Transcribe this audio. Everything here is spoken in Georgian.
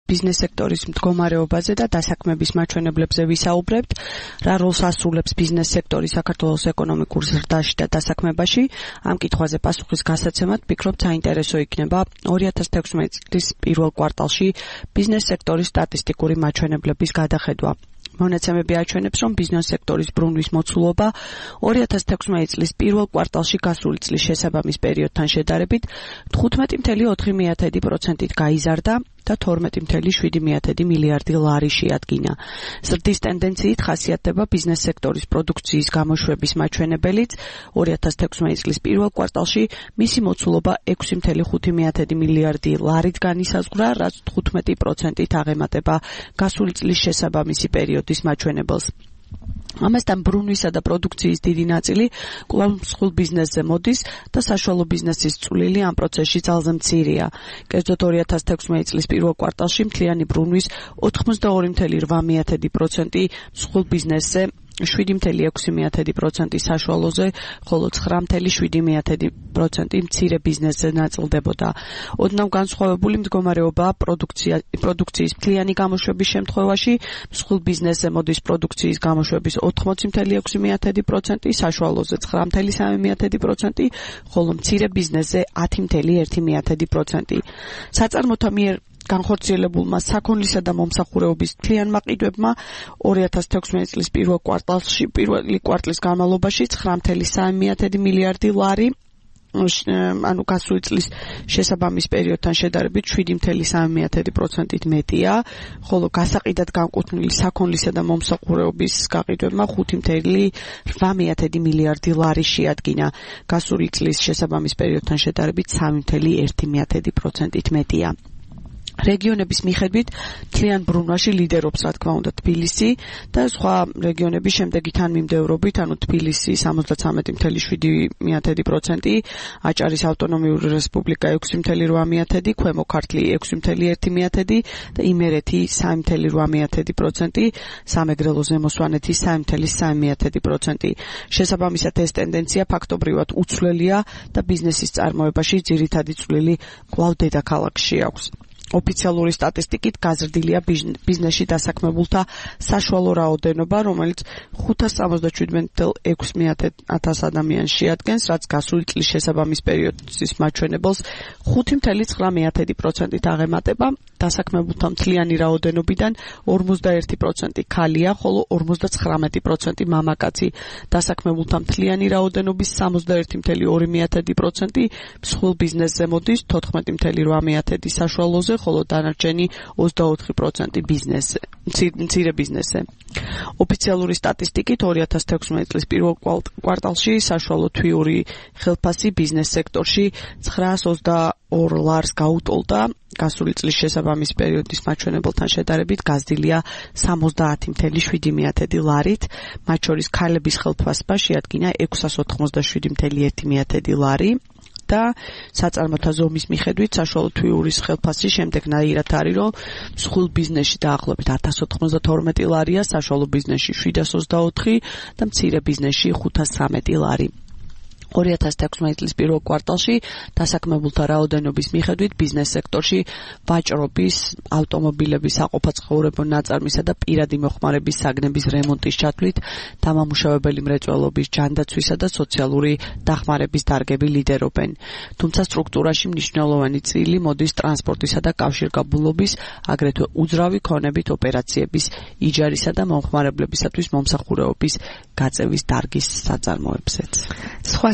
ბიზნეს სექტორის მდგომარეობაზე და დასაქმების მაჩვენებლებზე ვისაუბრებთ, რა როლს ასრულებს ბიზნეს სექტორი საქართველოს ეკონომიკურ ზრდაში და დასაქმებაში. Ამ კითხვაზე პასუხის გასაცემად ვფიქრობ, საინტერესო იქნება 2016 წლის პირველ კვარტალში ბიზნეს სექტორის სტატისტიკური მაჩვენებლების გადახედვა. მონაცემები აჩვენებს, რომ ბიზნეს სექტორის ბრუნვის მოცულობა 2016 წლის პირველ კვარტალში გასული წლის შესაბამის პერიოდთან შედარებით 15.4%-ით გაიზარდა და 12.7 მილიარდი ლარი შეადგინა. ზრდის ტენდენციით ხასიათდება ბიზნეს სექტორის პროდუქციის გამოშვების მაჩვენებელიც 2016 წლის პირველ კვარტალში მისი მოცულობა 6.5 მილიარდი ლარით განისაზღვრა, რაც 15%-ით აღემატება გასული წლის შესაბამისი პერიოდის მაჩვენებელს. ამასთან ბრუნვისა და პროდუქციის დიდი ნაწილი კვლავ მსხვილ ბიზნესზე მოდის და საშუალო ბიზნესის წვლილი ამ პროცესში ძალზე მცირეა. კერძოდ 2016 წლის პირველ კვარტალში მთლიანი ბრუნვის 82.8% მსხვილ ბიზნესზე, 7.6% საშუალოზე, ხოლო 9.7% მცირე ბიზნესზე ნაწილდებოდა. ოდნავ განსხვავებული მდგომარეობაა პროდუქციის მთლიანი გამოშვების შემთხვევაში. მსხვილ ბიზნესზე მოდის პროდუქციის გამოშვების 80.6%, საშუალოზე 9.3%, ხოლო მცირე ბიზნესზე 10.1%. საწარმოთა მიერ განხორციელებულმა საქონლისა და მომსახურეობის მთლიანმა ყიდვებმა 2016 წლის პირველი კვარტლის განმავლობაში 9.3 მილიარდი ლარი, ანუ გასული წლის შესაბამის პერიოდთან შედარებით 7.3%-ით მეტია, ხოლო გასაყიდად განკუთვნილი საქონლისა და მომსახურეობის გაყიდვებმა 5.8 მილიარდი ლარი შეადგინა. გასული წლის შესაბამის პერიოდთან შედარებით 3.1%-ით მეტია. რეგიონების მიხედვით მთლიან ბრუნვაში ლიდერობს, რა თქმა უნდა, თბილისი და სხვა რეგიონების შემდეგი თანმიმდევრობით, ანუ თბილისი 73.7%, აჭარის ავტონომიური რესპუბლიკა 6.8%, ქვემო ქართლი 6.1% და იმერეთი 3.8%, სამეგრელო ზემო სვანეთი 3.3%. შესაბამისად ეს ტენდენცია ფაქტობრივად უცვლელია და ბიზნესის წარმოებაში ძირითადი წვლილი კვლავ დედაქალაქში აქვს. ოფიციალური სტატისტიკით გაზრდილია ბიზნესში დასაქმებულთა საშუალო რაოდენობა, რომელიც 577.6 ადამიანს შეადგენს, რაც გასული წლის შესაბამის პერიოდის მაჩვენებელს 5.9%-ით აღემატება. დასაქმებულთა მთლიანი რაოდენობიდან 51% ქალია, ხოლო 59% მამაკაცი. დასაქმებულთა მთლიანი რაოდენობის 61.2% მსხვილ ბიზნესზე მოდის, 14.8% საშუალოზე, ხოლო დანარჩენი 24% ბიზნესზე, მცირე ბიზნესზე. ოფიციალური სტატისტიკით 2016 წლის პირველ კვარტალში საშუალო თვიური ხელფასი ბიზნეს სექტორში 922 ლარს გაუტოლდა. გასული წლის შესაბამის პერიოდის მაჩვენებელთან შედარებით გაზრდილია 70.7 ლარით, მათ შორის ქალების ხელფასება შეადგინა 687.1 ლარი. და საწარმოთა ზომის მიხედვით საშუალო თვიურის ხელფასი შემდეგნაირად არის, რომ მსხვილ ბიზნესში დაახლოებით 1092 ლარია, საშუალო ბიზნესში 724 და მცირე ბიზნესში 513 ლარი. 2016 წლის პირველ კვარტალში დასაქმებულთა რაოდენობის მიხედვით ბიზნეს სექტორში ვაჭრობის, ავტომობილების საყოფაცხოვრებო ნაწარმისა და პირადი მოხმარების საგნების რემონტის ჩათვლით დამამუშავებელი მრეწველობის, ჯანდაცვისა და სოციალური დახმარების დარგები ლიდერობენ. თუმცა სტრუქტურაში მნიშვნელოვანი წილი მოდის ტრანსპორტისა და კავშირგაბმულობის, აგრეთვე უძრავი ქონებით ოპერაციების, იჯარისა და მომხმარებლებისათვის მომსახურეობის გაწევის დარგის საწარმოებზეც.